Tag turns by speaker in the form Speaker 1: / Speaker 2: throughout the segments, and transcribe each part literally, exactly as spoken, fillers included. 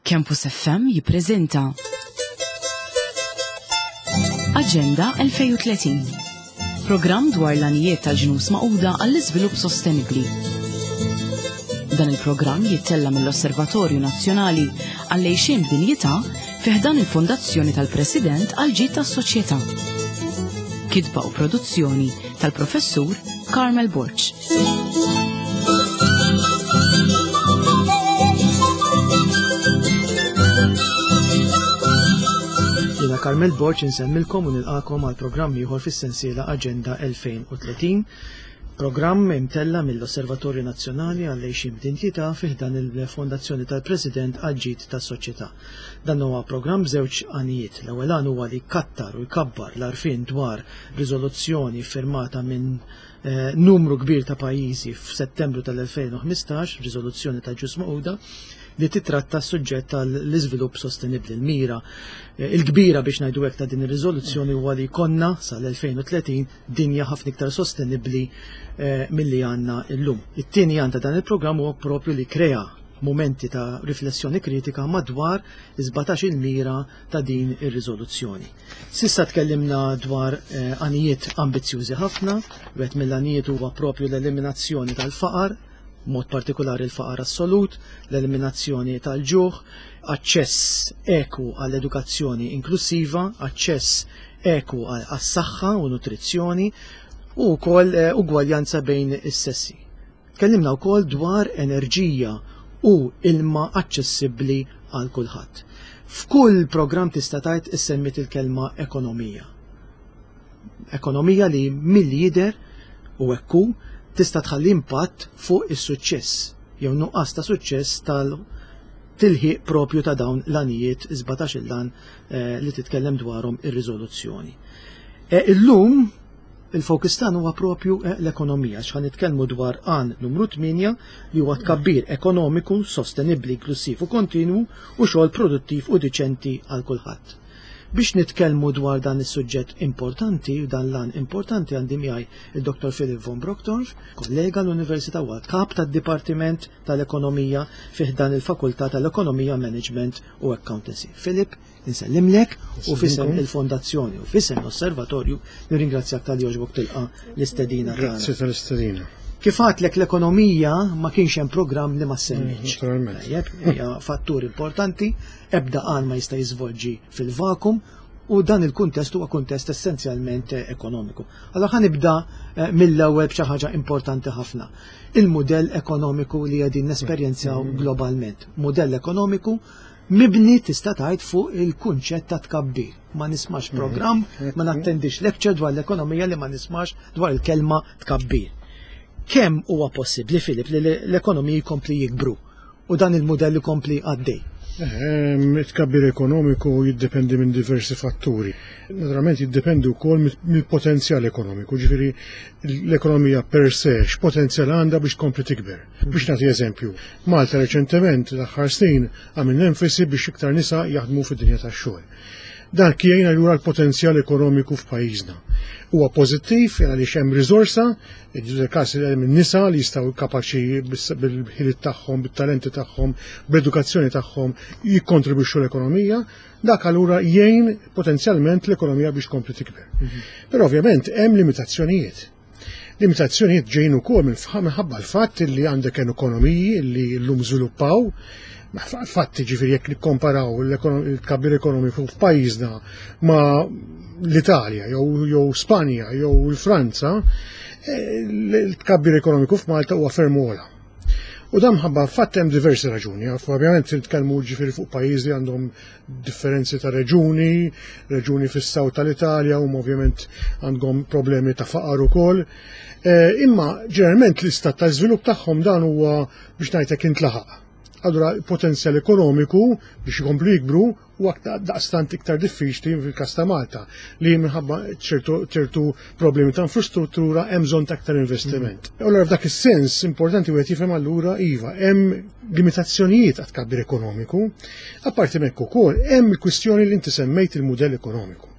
Speaker 1: Campus F M jippreżenta Aġenda elfejn u tletin. Programm dwar l-għanijiet tal-Ġnus Magħquda għall-iżvilupp sostenibbli. Dan il-programm jittella mill-Osservatorju Nazzjonali għall-Għixien b'Dinjità fi ħdan il-Fondazzjoni tal-President għall-Ġid tas-Soċjetà. Kitba u produzzjoni tal-Professur Carmel Borg.
Speaker 2: Jiena Carmel Borg, insellmilkom u nilqagħkom għal programm ieħor fis-sensiela Aġenda elfejn u tletin, programm imtella mill-Osservatorju Nazzjonali għall-Għixien b'Dinjità fi ħdan il-Fondazzjoni tal-President għall-Ġid tas-Soċjetà. Dan huwa programm b'żewġ għanijiet. L-ewwel għan huwa li jkattar u jkabbar l-għarfien dwar riżoluzzjoni firmata minn eh, numru kbir ta' pajjiżi f'Settembru tal-elfejn u ħmistax, riżoluzzjoni ta' Ġnus Magħquda li titratta s-suġġett tal-iżvilupp sostenibbli. Il-mira eh, il-kbira, biex ngħidu hekk, ta' din ir-riżoluzzjoni huwa li jkollna sal-elfejn u tletin dinja ħafna iktar sostenibbli eh, milli għandna llum. It-tieni għan ta' dan il-programm huwa propju li krea momenti ta' riflessjoni kritika madwar is-sbatax il-mira ta' din ir-riżoluzzjoni. S'issa tkellimna dwar eh, għanijiet ambizzjużi ħafna. Wieħed mill-għanijiet huwa propju l-eliminazzjoni tal-faqar, mod partikolari l-faqar assolut, l-eliminazzjoni tal-ġuħ, aċċess eku għall-edukazzjoni inklusiva, aċċess eku għas-saħħa u nutrizzjoni u wkoll eh, ugwaljanza bejn is-sessi. Tkellimna wkoll dwar enerġija u ilma aċċessibbli għal kulħadd. F'kull programm tista' tgħid issemmit il-kelma ekonomija. Ekonomija li milli jidher u ekku tista' tħalli impatt fuq is-suċċess jew nuqqas ta' suċċess tal-tilħiq propju ta' dawn l-għanijiet, sbatax il-għan eh, li titkellem dwarhom ir-riżoluzzjoni. Eh, illum il-fokus tagħna huwa propju eh, l-ekonomija, x'ħa nitkellmu dwar għan numru tmienja, li huwa tkabbir ekonomiku, sostenibbli, inklusiv u kontinwu u xogħol produttiv u diċenti għal kulħadd. Biex nitkellmu dwar dan is-suġġett importanti u dan l-għan importanti, għandi miegħi il-Dottor Philip von Brockdorff, kollega l-Università u kap tad-Dipartiment tal-Ekonomija fi ħdan il-Fakultà tal-Ekonomija, Management u Accountancy. Philip, insellimlek u f'isem il-Fondazzjoni u f'isem l-Osservatorju nirringrazzjak talli għoġbok tilqa' l-istedina tagħna.
Speaker 3: Grazzi tal-istedina.
Speaker 2: Kif għedtlek, l-ekonomija ma kienx hemm programm li ma semmitx.
Speaker 3: Naturalment.
Speaker 2: Tajjeb, hija fattur importanti, ebda għan ma jista' jiżvolġi fil-vakum u dan il-kuntest huwa kuntest essenzjalment eh, ekonomiku. Allora ħa nibda eh, mill-ewwel b'xi ħaġa importanti ħafna. Il-mudell ekonomiku li qegħdin nesperjenzaw globalment. Mudell ekonomiku mibni, tista' tgħid, fuq il-kunċett ta' tkabbir. Ma nismax programm, ma nattendix lecture dwar l-ekonomija li ma nismax dwar il-kelma tkabbir. Kemm huwa possibbli, Filip, li l-ekonomija jkompli jikbru u dan il-mudell jkompli għaddej?
Speaker 3: Ehm, it-tkabbir ekonomiku jiddependi minn diversi fatturi. Naturalment jiddependi wkoll mill-potenzjal ekonomiku, ġifieri l-ekonomija per se x'potenzjal għandha biex tkompli tikber. Biex nagħti eżempju, Malta reċentement, l-aħħar snin, għamilna enfasi biex iktar nisa jaħdmu fid-dinja tax-xogħol. Dan jgħin allura l-potenzjal ekonomiku f'pajjiżna. Huwa pożittiv għaliex hemm riżorsa, il-każ hemm nisa li jistgħu kapaċi bil-ħiliet tagħhom, bit-talenti tagħhom, bl-edukazzjoni tagħhom jikkontribwixxu l-ekonomija, dak allura jgħin potenzjalment l-ekonomija biex tkompli tikber. Però ovvjament hemm limitazzjonijiet. Limitazzjonijiet ġejjin ukoll minħabba l-fatt li għandek ekonomiji li llum żviluppaw. Fatti, ġifieri, jekk nikkomparaw il-tkabbir ekonomiku f'pajjiżna ma' l-Italja jew jew Spanja jew il-Franza, eh, il-tkabbir ekonomiku f'Malta huwa ferm ogħla. U dan ħabba fatt hemm diversi raġuni. Ovvjament nitkellmu, ġifieri, fuq pajjiżi għandhom differenzi ta' reġuni, reġuni fis-south tal-Italja huma ovvjament għandhom problemi ta' faqar ukoll. Eh, imma ġeneralment l-istat ta' żvilupp tagħhom dan huwa, biex ngħidlek, intlaħaq. Allura potenzjal ekonomiku biex jkomplu jikbru u daqstant iktar diffiċli fil-każ ta' Malta, li minħabba ċertu problemi ta' infrastruttura hemm bżonn ta' aktar investiment. Mm. Allura f'dak is-sens importanti wieħed jifhem allura, iva, hemm limitazzjonijiet għat tkabbir ekonomiku. Apparti minn hekk ukoll hemm il-kwistjoni li inti semmejt, il-mudell ekonomiku.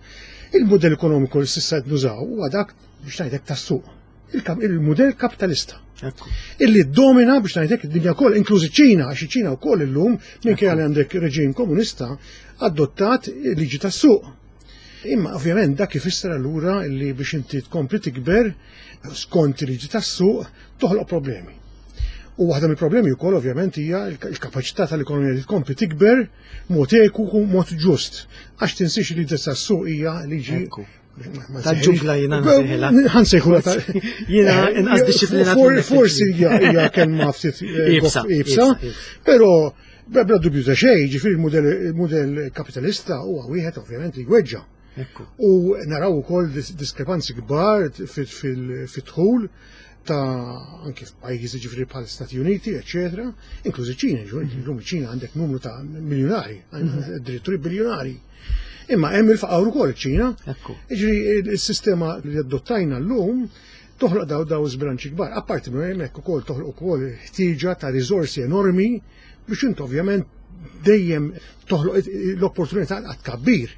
Speaker 3: Il-mudell ekonomiku li s'issa qed nużaw huwa dak, biex ngħidlek, tas-suq. Il-mudell kapitalista. Illi domina biex ngħidlek id-dinja kollha, inklużi ċ-Ċina, għax iċ-Ċina wkoll illum minkejja li għandek reġim komunista adottat liġi tas-suq. Imma ovvjament dak ifisser allura li biex inti tkompli tikber skont liġi tas-suq toħloq problemi. U waħda mill-problemi wkoll ovvjament hija l-kapaċità tal-ekonomija li tkompli tikber mod eku u mod ġust. Għax tinsiex li liġi tas-suq hija liġi
Speaker 2: tal-ġungla jiena nsejħilha.
Speaker 3: Ħa nsejħulha ta'
Speaker 2: Jiena inqas dixxiplinat.
Speaker 3: Forsi hija kelma ftit
Speaker 2: Iebsa,
Speaker 3: iebsa, però bla dubju ta' xejn, ġifieri il-mudell kapitalista huwa wieħed ovvjament li jweġġa'. U naraw ukoll diskrepanzi kbar fid-dħul ta' anke f'pajjiżi ġifieri bħal Stati Uniti, eċetera, inklużi ċina, llum ċina għandek numru ta' miljonari, addirittura biljonari. Imma hemm il-faqar ukoll ċina. Ġifieri il-sistema li adottajna llum toħloq daw daw żbilanċi kbar. Apparti minn hemmhekk ukoll toħloq ukoll ħtieġa ta' riżorsi enormi biex int ovvjament dejjem toħloq l-opportunità għat kabbir.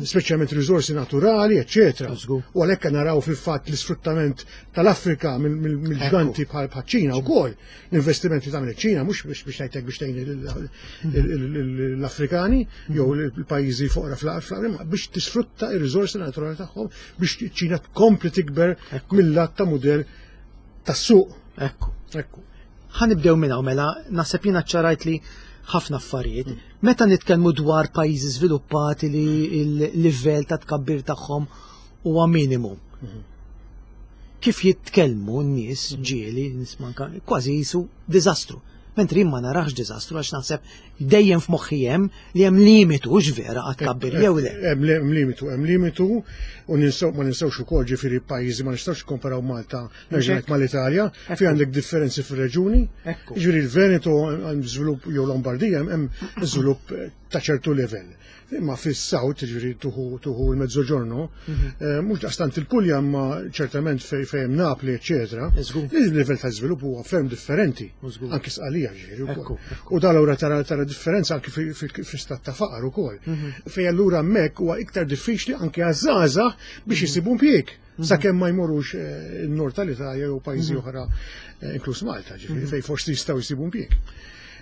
Speaker 3: Speċjalment riżorsi naturali, eċetera. U għalhekk naraw fil-fatt l-isfruttament tal-Afrika mill-ġganti bħal ċina wkoll. L-investimenti tagħmel iċ-Ċina mhux biex biex ngħidlek biex tgħin l-Afrikani jew l-pajjiżi foqra fl-Afrika, biex tisfrutta ir-riżorsi naturali tagħhom biex ċina tkompli tikber mill-lat ta' mudell tas-suq.
Speaker 2: Ekku. Ekku. Ħa nibdew minn hawn mela, naħseb jiena ċarajt li ħafna affarijiet. Meta nitkellmu dwar pajjiżi żviluppati li l-livell ta' tkabbir tagħhom huwa minimu. Kif jitkellmu n-nies ġieli nismanka kważi jisu diżastru. Mentri ma narax diżastru għax naħseb dejjem f'moħħi hemm li hemm limitu x'vera għat tkabbir jew le.
Speaker 3: Hemm limitu, hemm limitu u ninsew ma ninsewx ukoll ġifieri pajjiżi ma nistgħux nikkomparaw Malta nerġa' mal-Italja, fi għandek differenzi fir-reġuni. Ġifieri l-Veneto hemm żvilupp jew Lombardija hemm żvilupp ta' ċertu livell. Imma fis-South, ġifieri tuħu tuħu l-Mezzoġorno, mhux daqstant il-Puglia imma ċertament fejn hemm Napli, eċetera. Il-livell ta' żvilupp huwa ferm differenti. Anki Sqalija ġifieri wkoll. U dan allura tara tara differenza anki fi-stat ta' faqar ukoll. Fejn allura hemmhekk huwa iktar diffiċli anki għaż-żgħażagħ biex isibu impjieg. Sakemm ma jmorrux in-nord tal-Italja jew pajjiżi oħra inkluż Malta, ġifieri fejn forsi jistgħu jsibu impjieg.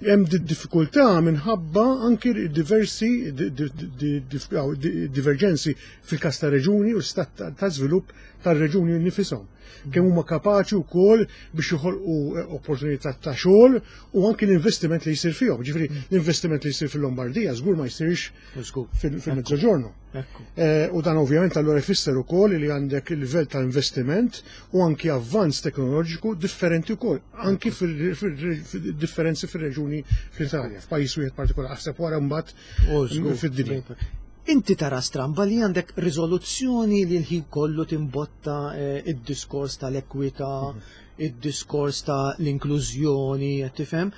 Speaker 3: Hemm diffikultà minħabba anki diversi divergenzi fil-każ ta' reġuni u stat ta' żvilupp tar-reġuni nifishom. Kemm huma kapaċi wkoll biex joħolqu opportunità ta' xogħol u anki l-investiment li jsir fihom. Ġifieri l-investiment li jsir fil-Lombardija żgur ma jsirx fil-Mezzoġorno. U dan ovvjament allura jfisser ukoll li għandek il-livell ta' investiment u anki avvanz teknoloġiku differenti wkoll, anki fil-differenzi fir-reġuni fl-Italja, f'pajjiż wieħed partikolari, aħseb wara mbagħad fid-dinja.
Speaker 2: Inti tara stramba li għandek riżoluzzjoni li l-ħin kollu timbotta id-diskors tal-ekwità, id-diskors tal-inklużjoni, tifhem?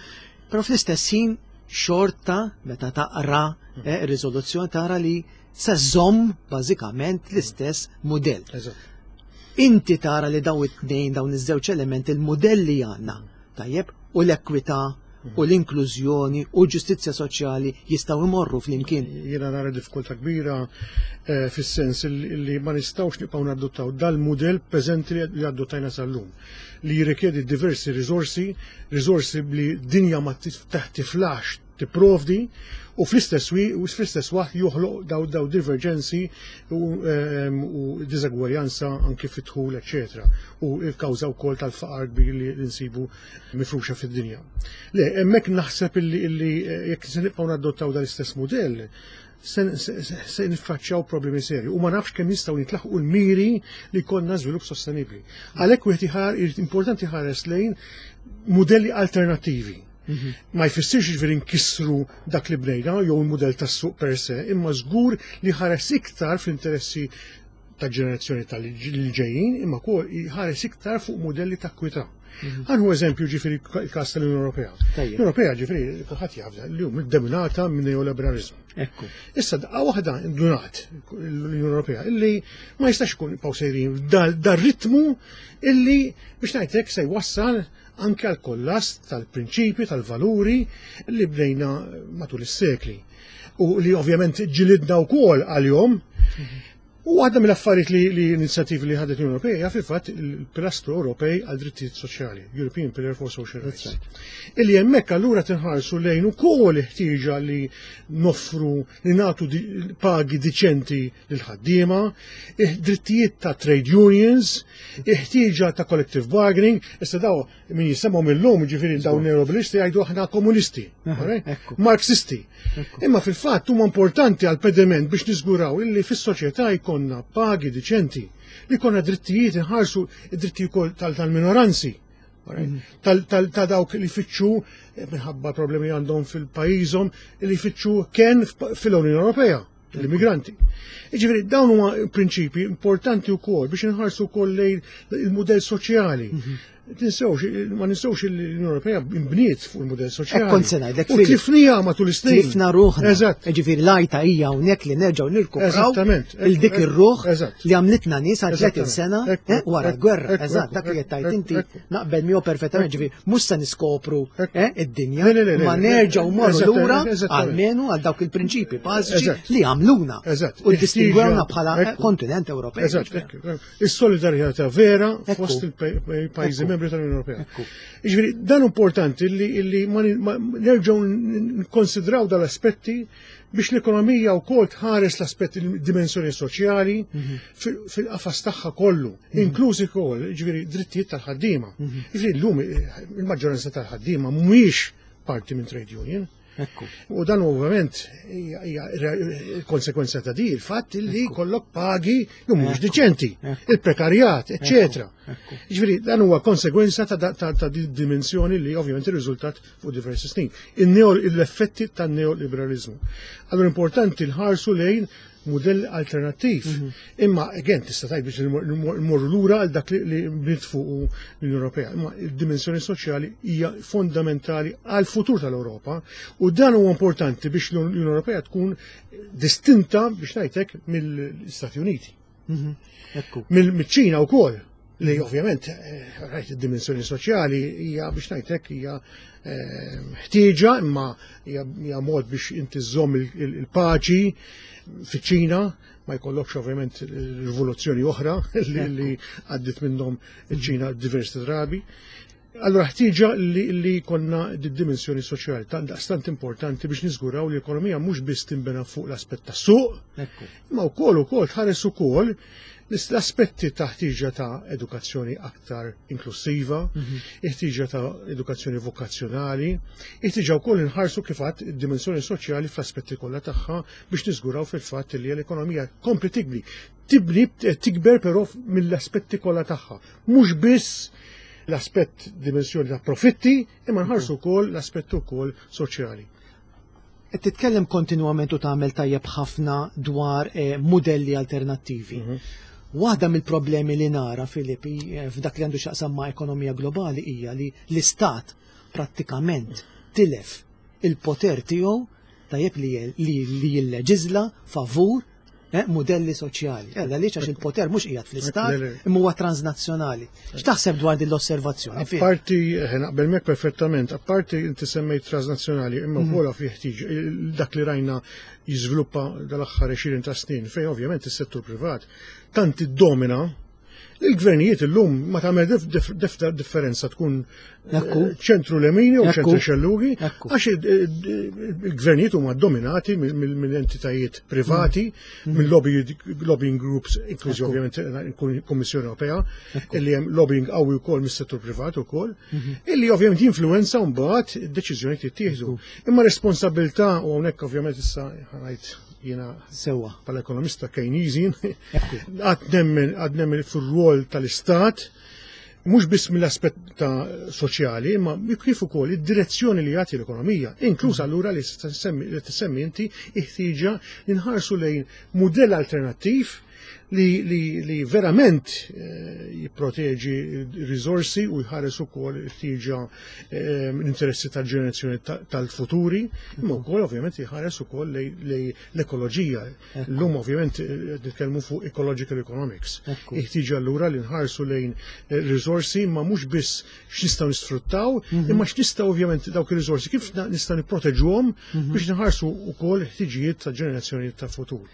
Speaker 2: Però fl-istess ħin xorta meta taqra ir-riżoluzzjoni tara li se żomm bażikament l-istess mudell. Inti tara li dawn it-tnejn dawn iż-żewġ elementi il-mudell li għandna, tajjeb, u l-ekwità u l-inklużjoni u ġustizzja soċjali jistgħu jmorru flimkien.
Speaker 3: Jiena nara diffikultà kbira fis-sens li ma nistgħux nibqgħu nadottaw dal-mudell preżenti li adottajna sal-lum, li jirrikjedi diversi riżorsi, riżorsi li dinja ma tiflax tipprovdi u fl-istess u fl-istess waqt joħloq daw daw divergenzi u, u diżegwaljanza anki fit-dħul, eċetera. U l-kawża wkoll tal-faqar kbir li nsibu mifruxa fid-dinja. Le, hemmhekk naħseb illi jekk se nibqgħu nadottaw dal-istess mudell, se niffaċċjaw problemi serji u ma nafx kemm jistgħu nitlaħqu l-miri li jkollna żvilupp sostenibbli. Għalhekk wieħed iħar importanti ħares lejn mudelli alternattivi. Ma jfissirx ġifieri nkissru dak li bnejna jew il-mudell tas-suq per se, imma żgur li ħares iktar fl-interessi ta' ġenerazzjoni tal-ġejjin, imma wkoll ħares iktar fuq mudelli ta' kwità. Għanhu eżempju ġifieri il-każ tal-Unjoni Ewropea. L-Unjoni Ewropea ġifieri kulħadd jaf li hu dominata minn neoliberalizmu.
Speaker 2: Ekku.
Speaker 3: Issa daqqa waħda ndunat l-Unjoni Ewropea illi ma jistax ikun nibqgħu sejrin dar-ritmu illi biex ngħidlek se jwassal anke għal kollass tal-prinċipji, tal-valuri li bnejna matul is-sekli. U li ovvjament ġilidna wkoll għal-jom. U waħda mill-affarijiet li, li inizjattivi li ħadet l-Unjoni Ewropea hija fil-fatt il-Pilastru Ewropej għal drittijiet soċjali, European Pillar for Social Rights. Illi hemmhekk allura tinħarsu lejn ukoll ħtieġa li noffru li nagħtu di, pagi diċenti lil ħaddiema, drittijiet ta' trade unions, ħtieġa ta' collective bargaining, issa daw min jisemgħu mill-lum, ġifieri dawn neoliberalisti jgħidu aħna komunisti, Marxisti. Imma fil-fatt huma importanti għal pediment biex niżguraw illi fis-soċjetà jkollna pagi diċenti, li jkollna drittijiet, inħarsu id-drittijiet tal-minoranzi, ta' dawk li fitxu minħabba problemi għandhom fil-pajjiżhom, li fitxu ken fil-Unjoni Ewropea, l-immigranti. Ġifieri dawn huma prinċipi importanti wkoll biex inħarsu wkoll lejn il-mudell soċjali. Tinsewx, ma ninsewx l-Unjoni Ewropea imbniet fuq il-mudell soċjali.
Speaker 2: Kont se ngħidlek.
Speaker 3: U tlifniha matul is-snin.
Speaker 2: Tlifna ruħna. Eżatt. Ġifieri l-għajta hija hawnhekk li nerġgħu nirkupraw il dik ir-ruħ li għamlitna nies għal tletin sena wara l-gwerra. Eżatt, dak li qed tgħid inti naqbel miegħu perfettament, ġifieri mhux se niskopru id-dinja, ma nerġgħu morru lura almenu għal dawk il-prinċipi bażiċi li għamluna u distingwewna bħala kontinent Ewropej.
Speaker 3: Eżatt. Is-solidarjetà vera fost il-pajjiżi membri tal-Unjoni Ewropea. Jiġifieri dan importanti li, li nerġgħu nkonsidraw dal-aspetti biex l-ekonomija wkoll tħares l-aspetti, dimensjoni soċjali fil-qafas tagħha kollu, inklużi wkoll ġifieri drittijiet tal-ħaddiema. Jiġifieri llum il-maġġoranza tal-ħaddiema mhumiex parti minn trade union. U dan ovvjament hija konsekwenza ta' di il-fatt li kollok pagi li mhux diċenti, il-prekarjat, eċetera. Ġifieri dan huwa konsekwenza ta', ta, ta di dimensjoni li ovvjament irriżultat fuq diversi snin. L-effetti tan-neoliberalizmu. Allura importanti nħarsu lejn mudell alternattiv. Imma again tista' tgħid biex nmorru lura għal dak li bniet fuq l-Unjoni Ewropea. Imma il-dimensjoni soċjali hija fondamentali għal futur tal-Ewropa u dan huwa importanti biex l-Unjoni Ewropea tkun distinta, biex ngħidlek, mill-Istati Uniti. Mill-Ċina wkoll, li ovvjament rajt id-dimensjoni soċjali hija, biex ngħidlek, hija ħtieġa, imma hija mod biex inti żżomm il-paċi fiċ-Ċina, ma jkollokx ovvjament rivoluzzjoni oħra li għaddit minnhom iċ-Ċina diversi drabi. Allora ħtieġa li, li konna di dimensjoni soċjali tant daqstant importanti biex niżguraw li l-ekonomija mhux biss tinbena fuq l-aspett tas-suq, imma wkoll ukoll tħares ukoll l-aspetti ta' ħtieġa ta' edukazzjoni aktar inklusiva, ħtieġa ta' edukazzjoni vokazzjonali, ħtieġa wkoll inħarsu kif għadt id-dimensjoni soċjali fl-aspetti kollha tagħha biex niżguraw fil-fatt li l-ekonomija kompli tibni. Tibni, tikber però mill-aspetti kollha tagħha. Mhux biss l-aspett dimensjoni ta' profitti, imma nħarsu wkoll l-aspett ukoll soċjali.
Speaker 2: Qed titkellem kontinwament u tagħmel tajjeb ħafna dwar eh, modelli alternattivi. Waħda mill-problemi li nara, Filippi, eh, f'dak li għandu x'jaqsam ma' ekonomija globali hija li l-istat prattikament tilef il-poter tiegħu, tajjeb, li, li, li jilleġizla favur eh, modelli soċjali. Ella li għax il-poter mhux qiegħed fl-istat,
Speaker 3: Le, le.
Speaker 2: imma huwa transnazzjonali. X'taħseb dwar din l-osservazzjoni? Filip?
Speaker 3: Apparti, eh, naqbel mek perfettament, apparti inti semmejt transnazzjonali, imma wkoll fi ħtieġ dak li rajna jiżviluppa dal-aħħar għoxrin ta' snin, fejn ovvjament is-settur privat tant iddomina il-gvernijiet illum ma tagħmel dif- dif- dif- differenza tkun eh,
Speaker 2: Ekku.
Speaker 3: ċentru lemini u
Speaker 2: Ekku.
Speaker 3: ċentru xellugi,
Speaker 2: Ekku.
Speaker 3: għax il- il- il-gvernijiet huma dominati mill- mill- mill-entitajiet privati, mill lobby lobbying groups, inklużi
Speaker 2: Ekku.
Speaker 3: ovvjament il-Kummissjoni Ewropea, illi hemm lobbying qawwi wkoll mis-settur privat ukoll, illi ovvjament jinfluwenza mbagħad id-deċiżjonijiet jittieħdu. Imma responsabilità, u hawnhekk ovvjament issa ngħid jiena
Speaker 2: Sewwa.
Speaker 3: bħala ekonomista Keynesian,
Speaker 2: Ekku.
Speaker 3: għad nemmen għad nemmen fir-rwol tal-Istat, mhux biss mill-aspett ta' soċjali, imma kif ukoll id-direzzjoni li jagħti l-ekonomija, inkluż allura li tissemmi li tissemmi inti ħtieġa li nħarsu lejn mudell alternattiv li, li, li verament eh, jipproteġi r-riżorsi u jħares ukoll ħtieġa eh, l-interessi tal-ġenerazzjoni ta- tal-futuri, imma wkoll ovvjament jħares ukoll lej, lej l-ekoloġija. Llum ovvjament eh, nitkellmu fuq ecological economics.
Speaker 2: Ekku.
Speaker 3: Ħtieġa allura li nħarsu lejn eh, riżorsi, imma mhux biss x'nistgħu nisfruttaw, imma x'nistgħu ovvjament dawk ir-riżorsi kif na- nistgħu nipproteġuhom biex nħarsu wkoll ħtiġijiet ta' ġenerazzjoni ta' futur.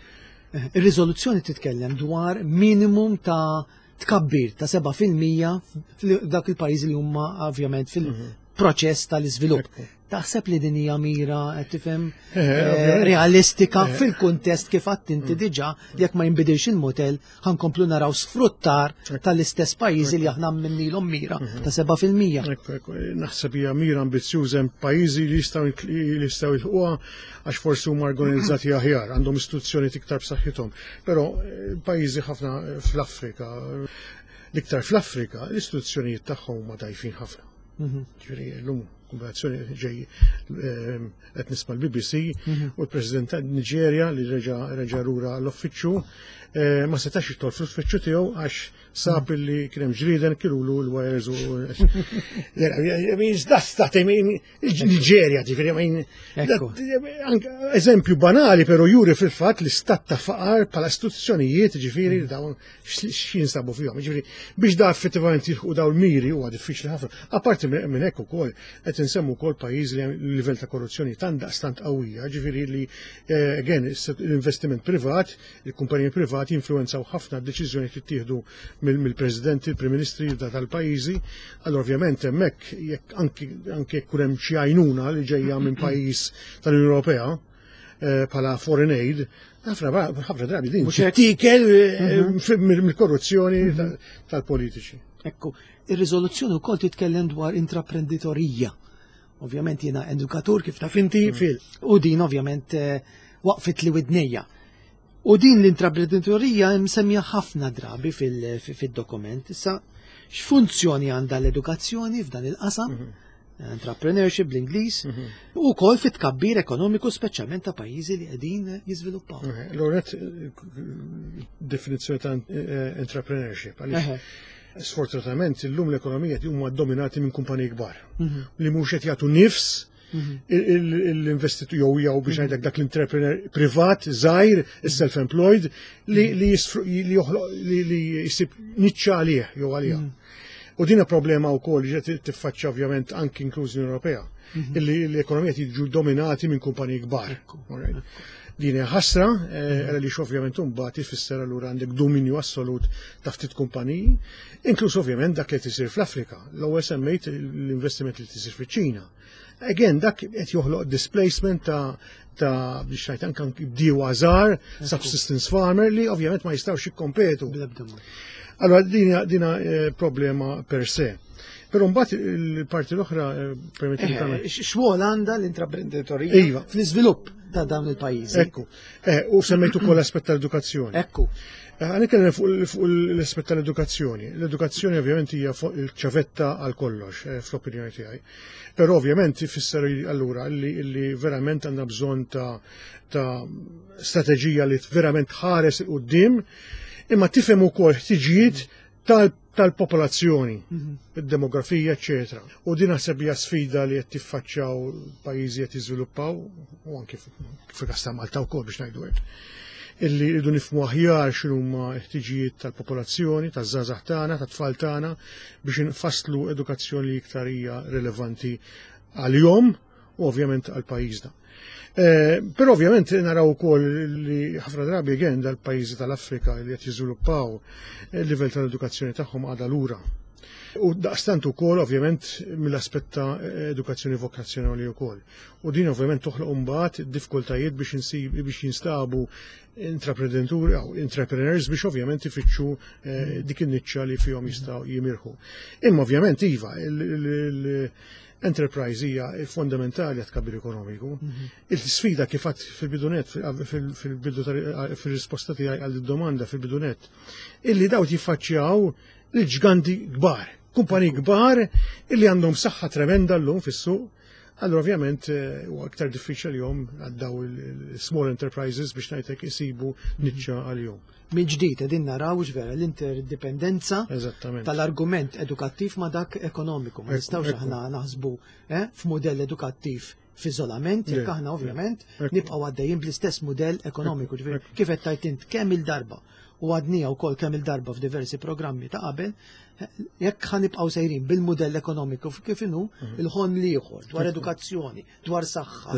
Speaker 2: Ir-riżoluzzjoni titkellem dwar minimum ta' tkabbir ta' seba' fil-mija f'dak il-pajjiżi li huma ovvjament fil-proċess tal-iżvilupp. Taħseb li din hija mira, qed tifhem,
Speaker 3: Eh,
Speaker 2: eh,
Speaker 3: ovvjament.
Speaker 2: realistika fil-kuntest kif għedt inti diġà, jekk ma jinbidilx il-modell, ħa nkomplu naraw sfruttar tal-istess pajjiżi li aħna għamilnielhom mira ta' seba' fil-mija?
Speaker 3: Ekku, ekku, naħseb hija mira ambizzjuża. Hemm pajjiżi li jistgħu li jistgħu jilħquha għax forsi huma organizzati aħjar, għandhom istituzzjoni iktar b'saħħithom. Però eh, pajjiżi ħafna fl-Afrika, l-iktar fl-Afrika, l-istituzzjonijiet tagħhom huma dgħajfin ħafna. Ġifieri llum kombinazzjoni ġej eh, qed nisma' l-B B C u l-President ta' Niġerja li reġa' reġa' lura l-uffiċċju eh, ma setax jidħol fl-uffiċċju tiegħu għax sab li kien hemm ġrieden kilulu l-wires u I mean, that's that, I mean, Niġerja, ġifieri, I mean,
Speaker 2: Ekku.
Speaker 3: that- anke eżempju banali, pero juri fil-fatt li stat ta' faqar bħala istituzzjonijiet, ġifieri, dawn x'jinsabu fihom. Ġifieri, biex da effettivament jilħqu dawn il-miri huwa diffiċli ħafna. Apparti minn minn hekk ukoll qed insemmu wkoll pajjiż li hemm livell ta' korruzzjoni tant daqstant qawwija, ġifieri li eh, again l-investiment privat, il-kumpaniji privati jinfluwenzaw ħafna d-deċiżjoni li tittieħdu mill-presidenti, il-prim ministri tal-pajjiżi. Allora ovvjament hemmhekk jekk anki anke jekk hemm xi għajnuna li ġejja minn pajjiż tal-Unjoni Ewropea eh, bħala foreign aid, ħafna ħafna drabi din
Speaker 2: Mhux hekk?
Speaker 3: tittikel eh, mill-korruzzjoni tal-politiċi.
Speaker 2: Ekku, ir-riżoluzzjoni wkoll titkellem dwar intraprenditorija. Ovvjament jiena edukatur, kif taf inti, fil. U din ovvjament eh, waqfit li widnejja. U din l-intraprenditorija msemmija ħafna drabi fil-dokument. Issa, x'funzjoni għandha l-edukazzjoni f'dan il-qasam? Entrepreneurship bl-Ingliż, u wkoll fit-tkabbir ekonomiku, speċjalment ta' pajjiżi li qegħdin jiżviluppaw.
Speaker 3: L-ewwel, definizzjoni ta' eh, entrepreneurship. Għaliex sfortunatament illum l-ekonomija huma dominati minn kumpaniji kbar li mhux qed jagħtu nifs l-investitur jew jew biex ngħidlek dak l-entrepreneur privat żgħir, is-self-employed li li li joħloq li li jsib niċċa għalih jew għaliha. U dina problema wkoll li ġiet tiffaċċja ovvjament anki inkluż l Ewropea, illi l-ekonomija jiġu dominati minn kumpaniji kbar. Din hija ħasra, għaliex ovvjament imbagħad ifisser allura għandek dominju assolut ta' ftit kumpaniji, inkluż ovvjament dak li tisir fl-Afrika. L-ewwel semmejt l-investiment li tisir fiċ-Ċina. Again, dak qed joħloq displacement ta' ta' biex ngħid anke bdiewa żgħar, subsistence farmer li ovvjament ma jistgħux jikkompetu. Allora dina dina problema per se. Però mbagħad il-parti l-oħra permetti
Speaker 2: tagħmel. X'rwol għandha l-intraprenditorija
Speaker 3: Iva.
Speaker 2: fl-iżvilupp ta' dawn il-pajjiżi?
Speaker 3: Ekku. U semmejt ukoll l-aspett tal-edukazzjoni.
Speaker 2: Ekku.
Speaker 3: Ħa nitkellem fuq l-aspett tal-edukazzjoni. L-edukazzjoni ovvjament hija fuq il-ċavetta għal kollox, fl-opinjoni tiegħi. Però ovvjament ifisser allura li, li verament għandna bżonn ta' ta' strateġija li verament ħares 'il quddiem imma tifhem ukoll ħtiġijiet tal-popolazzjoni, id-demografija, eċetera. U din naħseb hija sfida li qed tiffaċċjaw pajjiżi qed jiżviluppaw u anke fil-każ ta' Malta wkoll, biex ngħidu hekk. Illi rridu nifhmu aħjar x'inhuma ħtiġijiet tal-popolazzjoni, taż-żgħażagħ tagħna, tat-tfal tagħna, biex nfasslu edukazzjoni li iktar hija rilevanti għalihom u ovvjament għal pajjiżna. Eh, però ovvjament naraw ukoll li ħafna drabi again dal-pajjiżi tal-Afrika li qed jiżviluppaw, il-livell tal-edukazzjoni tagħhom għadha lura. U daqstant ukoll ovvjament mill-aspett ta' edukazzjoni vokazzjonali wkoll. U din ovvjament toħloq imbagħad diffikultajiet biex insib biex jinstabu intraprenditori jew entrepreneurs biex ovvjament ifittxu eh, dik in-niċċa li fihom jistgħu jimirħu. Imma ovvjament iva, l-enterprise hija fondamentali għat-tkabbir ekonomiku. Il-sfida kif għedt fil-bidu nett, fil-bidu fil-risposta tiegħi għal domanda fil-bidu nett, illi dawn jiffaċċjaw l-ġganti kbar, kumpani kbar illi għandhom saħħa tremenda llum fis-suq. Allora ovvjament eh, huwa aktar diffiċli jom għal dawn il-small enterprises biex ngħidlek isibu niċċa għalihom.
Speaker 2: Minn ġdid qegħdin naraw vera l-interdipendenza
Speaker 3: Eżattament.
Speaker 2: tal-argument edukattiv ma dak ekonomiku. Ma
Speaker 3: Ekku,
Speaker 2: nistgħux
Speaker 3: ekku.
Speaker 2: aħna naħsbu eh, f'mudell edukattiv f'iżolament, jekk
Speaker 3: Le,
Speaker 2: aħna ovvjament
Speaker 3: ekku.
Speaker 2: nibqgħu għaddejjin bl-istess mudell ekonomiku. Ġifieri,
Speaker 3: ekku.
Speaker 2: kif qed tajt int kemm il-darba u għadnija wkoll kemm il-darba f'diversi programmi ta' qabel, jekk ħa nibqgħu sejrin bil-mudell ekonomiku kif inhu, il-ħon l-ieħor dwar edukazzjoni, dwar saħħa,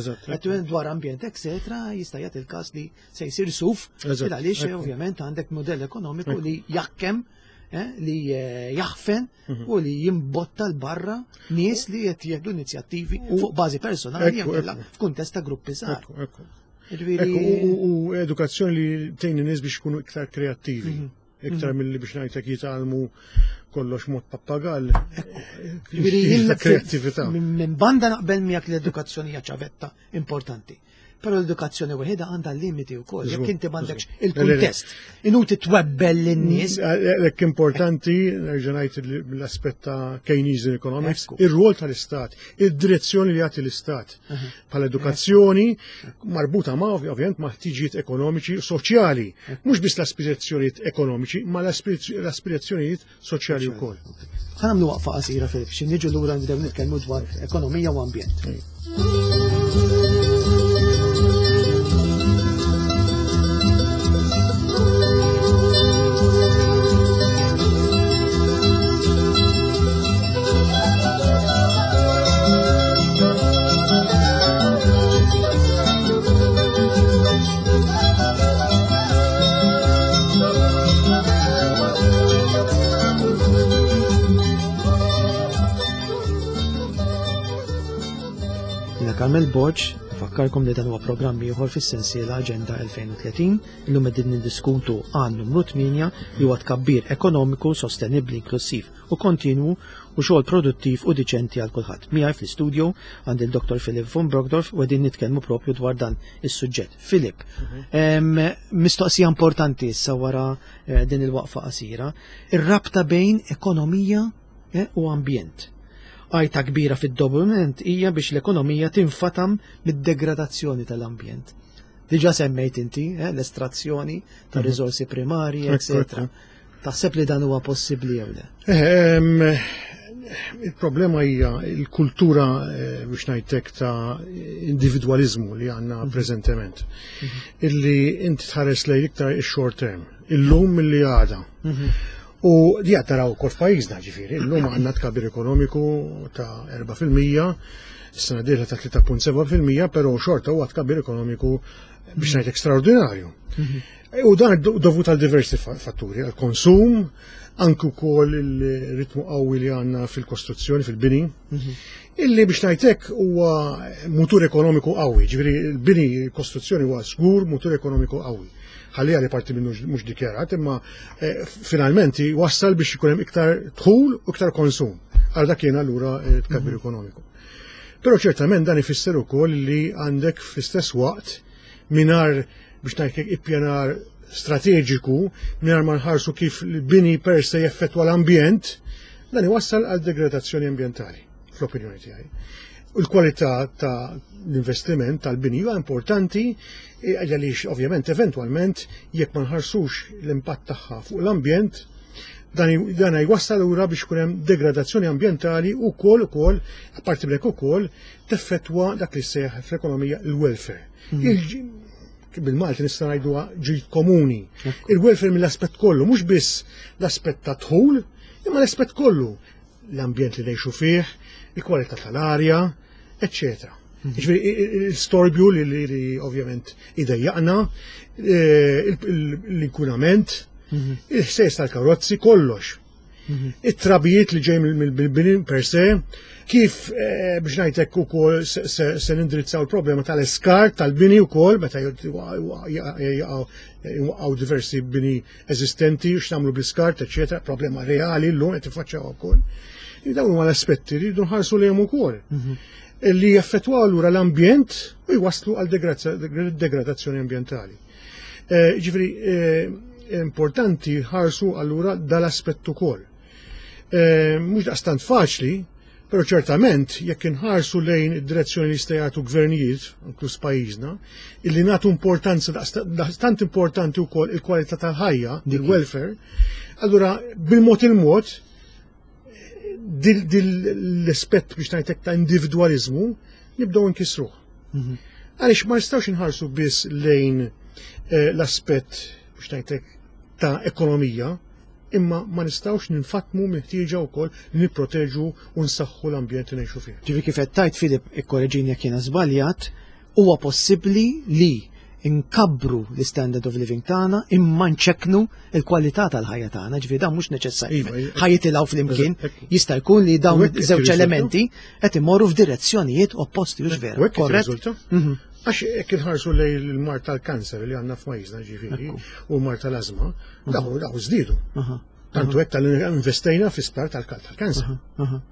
Speaker 2: dwar ambjent, eccetera, jista' jagħti il-każ li se jsir suf, għaliex ovvjament għandek mudell ekonomiku li jaħkem, li jaħfen u li jimbotta l-barra nies li qed jieħdu inizjattivi fuq bażi personali f'kuntest ta' gruppi żgħar.
Speaker 3: U edukazzjoni li tgħin in-nies biex ikunu iktar kreattivi, iktar milli biex ngħidlek jitgħallmu kollox mod pappagall. Kreattività.
Speaker 2: Minn banda naqbel miegħek l-edukazzjoni hija ċavetta importanti. Però l-edukazzjoni waħedha għandha limiti wkoll, jekk inti m'għandekx il-kuntest. Inuti twebbel lin-nies.
Speaker 3: Hekk importanti, nerġa' ngħid l-aspett ta' Keynesian economics, ir-rwol tal-Istat, id-direzzjoni li jagħti l-Istat bħala edukazzjoni marbuta ma' ovvjament ma' ħtiġijiet ekonomiċi u soċjali, mhux biss l-aspirazzjonijiet ekonomiċi, ma l-aspirazzjonijiet soċjali wkoll.
Speaker 2: Ħa nagħmlu waqfa qasira Filip, xi niġu lura nibdew nitkellmu dwar ekonomija u ambjent. Carmel Borg, nfakkarkom li dan huwa programm ieħor fis-sensiela Aġenda elfejn u tletin, illum qegħdin niddiskutu għan numru tmienja li huwa tkabbir ekonomiku, sostenibbli, inklusiv u kontinwu u xogħol produttiv u diċenti għal kulħadd. Miegħi fl-istudio għandi il-Doktor Philip von Brockdorff u qegħdin nitkellmu propju dwar dan is-suġġett. Philip, mistoqsija importanti issa wara din il-waqfa qasira, ir-rabta bejn ekonomija u ambjent. Għajta kbira fid-dokument hija biex l-ekonomija tinfatam mid-degradazzjoni tal-ambjent. Diġà semmejt inti l-estrazzjoni ta' riżorsi primarji, eccetera. Taħseb li dan huwa possibbli jew le?
Speaker 3: Il-problema hija l-kultura biex ngħidlek ta' individwaliżmu li għandna preżentement. Illi inti tħares lejn iktar ix-short term, illum milli għada. U di għad taraw ukoll f'pajjiżna ġifieri, illum għandna tkabbir ekonomiku ta' erba' fil-mija, is-sena d-dieħla ta' tlieta punt seba' fil-mija, però xorta huwa tkabbir ekonomiku biex ngħid ekstraordinarju. U dan dovut għal diversi fatturi, għal konsum, anke wkoll il-ritmu qawwi li għandna fil-kostruzzjoni, fil-bini, illi biex ngħidlek huwa mutur ekonomiku qawwi, ġifieri l-bini, il-kostruzzjoni huwa żgur mutur ekonomiku qawwi. Ħalli għali parti minnu mhux dikjarat, imma finalment wassal biex ikun hemm iktar dħul u iktar konsum. Għal dak kien allura tkabbir ekonomiku. Però ċertament dan ifisser ukoll li għandek fl-istess waqt mingħajr biex ngħidlek ippjanar strateġiku, mingħajr ma nħarsu kif l-bini per se jeffettwa l-ambjent, dan iwassal għal degradazzjoni ambjentali, fl-opinjoni tiegħi. U l-kwalità ta' l-investiment tal-bini huwa importanti għaliex ovvjament eventwalment jekk ma nħarsux l-impatt tagħha fuq l-ambjent, dan jwassal lura biex ikun hemm degradazzjoni ambjentali u wkoll ukoll apparti minn hekk ukoll teffettwa dak li seħ fl-ekonomija l-welfare. Bil-Malti nista' ngħiduha ġid komuni. Il-welfare mill-aspett kollu, mhux biss l-aspett ta' dħul, imma l-aspett kollu, l-ambjent li ngħixu fih, il-kwalità tal-arja, eccetera. Ġifieri l-istorbju li ovvjament idejjaqna, l-inkunament, il-ħsejs tal-karozzi, kollox. It-trabijiet li ġej mill-bini per se, kif biex ngħidlek ukoll se nindirizzaw il-problema tal-iskart tal-bini wkoll meta jwaqgħu diversi bini eżistenti x'nagħmlu bl-iskart, eċetera, problema reali llum qed tiffaċċjaw ukoll. Dawn huma l-aspetti li jridu nħarsu lejhom ukoll. Li jaffettwaw allura l-ambjent u jwasslu għal degradazzjoni ambjentali. Ġifieri importanti ħarsu allura dal-aspett ukoll. Mhux daqstant faċli, però ċertament jekk inħarsu lejn id-direzzjoni li jista' jagħtu gvernijiet, inkluż pajjiżna, illi nagħtu importanza daqstant importanti wkoll il-kwalità tal-ħajja, il-welfare, allura bil-mod il-mod l-aspett biex ngħidlek ta' individwaliżmu nibdew nkissruh. Għaliex ma nistgħux inħarsu biss lejn l-aspett biex ngħidlek ta' ekonomija, imma ma nistgħux ninfatmu mill-ħtieġa wkoll li nipproteġu u nsaħħu l-ambjent li ngħixu fih.
Speaker 2: Ġifieri kif qed tgħid, Filip, ikkoreġini jekk jiena żbaljat, huwa possibbli li nkabbru l-standard of living tagħna imma nċekknu l-kwalità tal-ħajja tagħna, ġifieri dan mhux neċessarju.
Speaker 3: Iva, iva.
Speaker 2: Ħa jitilgħu flimkien,
Speaker 3: Ekku.
Speaker 2: jista' jkun li dawn
Speaker 3: U hekk
Speaker 2: żewġ
Speaker 3: jirriżulta.
Speaker 2: elementi qed imorru f'direzzjonijiet opposti, hux vera.
Speaker 3: U hekk
Speaker 2: Korrett?
Speaker 3: jirriżulta.
Speaker 2: Mhm.
Speaker 3: Għax jekk inħarsu lejn il-mard tal-kanser li għandna f'pajjiżna, ġifieri, u l-mard tal-ażma, daw daw żdiedu.
Speaker 2: Aha,
Speaker 3: Tantu hekk tal-investejna fi sptar tal-kanser.
Speaker 2: aha.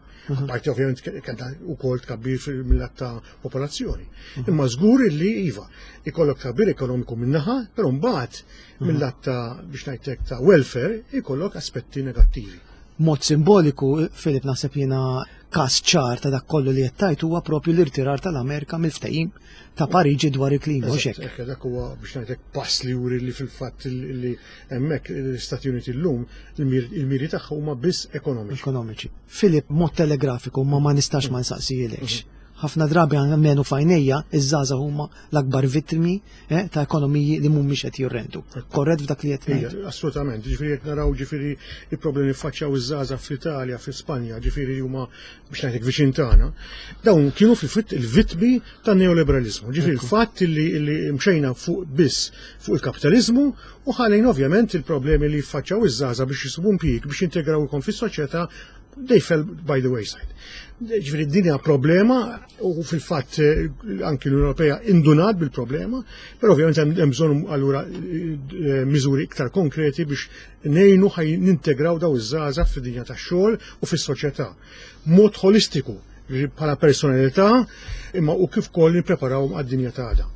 Speaker 3: Parti ovvjament kellha wkoll tkabbir mill-lat ta' popolazzjoni. Imma żgur li iva, ikollok tkabbir ekonomiku minnaħa, però mbagħad mill-lat ta' biex ngħidlek ta' welfare ikollok aspetti negattivi.
Speaker 2: Mod simboliku, Filip, naħseb jiena każ ċar ta' dak kollu li qed tgħid huwa propju l-irtirar tal-Amerika mill-ftehim ta' Pariġi dwar il-klima, hux hekk?
Speaker 3: Eżatt, dak huwa biex ngħidlek pass li juri li fil-fatt li hemmhekk l-Istati Uniti llum il-miri tagħha huma biss ekonomiċi.
Speaker 2: Ekonomiċi. Filip, mod telegrafiku, ma ma nistax ma nsaqsijilekx. Ħafna drabi għalmenu f'għajnejja, iż-żgħażagħ huma l-akbar vittmi eh, ta' ekonomiji li mhumiex qed jirrendu. Korrett f'dak li qed ngħid?
Speaker 3: Ija, assolutament, ġifieri jekk naraw ġifieri il-problemi faċċjaw iż-żgħażagħ fl-Italja, fl-Ispanja, ġifieri li huma biex ngħidlek viċin tagħna, dawn kienu fil-fatt il-vittmi tan-neoliberalizmu. Ġifieri il-fatt li, li mxejna fuq biss fuq il-kapitalizmu u ħalejna ovvjament il-problemi li faċċjaw iż-żgħażagħ biex jisibu impjieg, biex jintegraw ikon fis-soċjetà, they fell by the wayside. Ġifieri din hija problema u fil-fatt eh, anki l-Unjoni Ewropea indunat bil-problema, però ovvjament hemm hemm bżonn allura eh, miżuri iktar konkreti biex ngħinu ħaj nintegraw daw iż-żgħażagħ fid-dinja tax-xogħol u fis-soċjetà. Mod holistiku, ġifieri bħala personalità, imma u kif ukoll nippreparawhom għad-dinja ta' għada.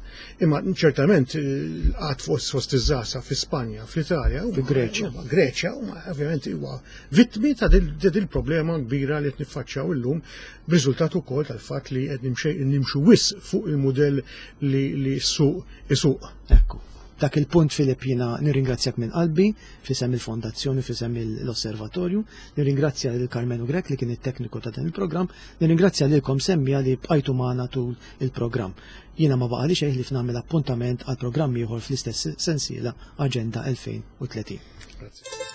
Speaker 3: Imma ċertament l-qgħad fost fost iż-żgħażagħ fi Spanja, fl-Italja, huma-
Speaker 2: Fi Greċja.
Speaker 3: huma Greċja huma ovvjament huwa vittmi ta' dil dil problema kbira li qed niffaċċjaw illum, b'riżultat ukoll tal-fatt li qed nimxej nimxu wisq fuq il-mudell li li s-suq isuq.
Speaker 2: Ekku. Dak il-punt, Filip, jiena nirringrazzjak minn qalbi f'isem il-Fondazzjoni, f'isem l-Osservatorju, nirringrazzja lil Karmenu Grek li kien it-tekniku ta' dan il-programm, nirringrazzja lilkom semmiegħa li bqajtu magħna tul il-programm. Jiena ma baqali xejn li nagħmel appuntament għal programm ieħor fl-istess sensiela Aġenda elfejn u tletin.
Speaker 3: Grazie.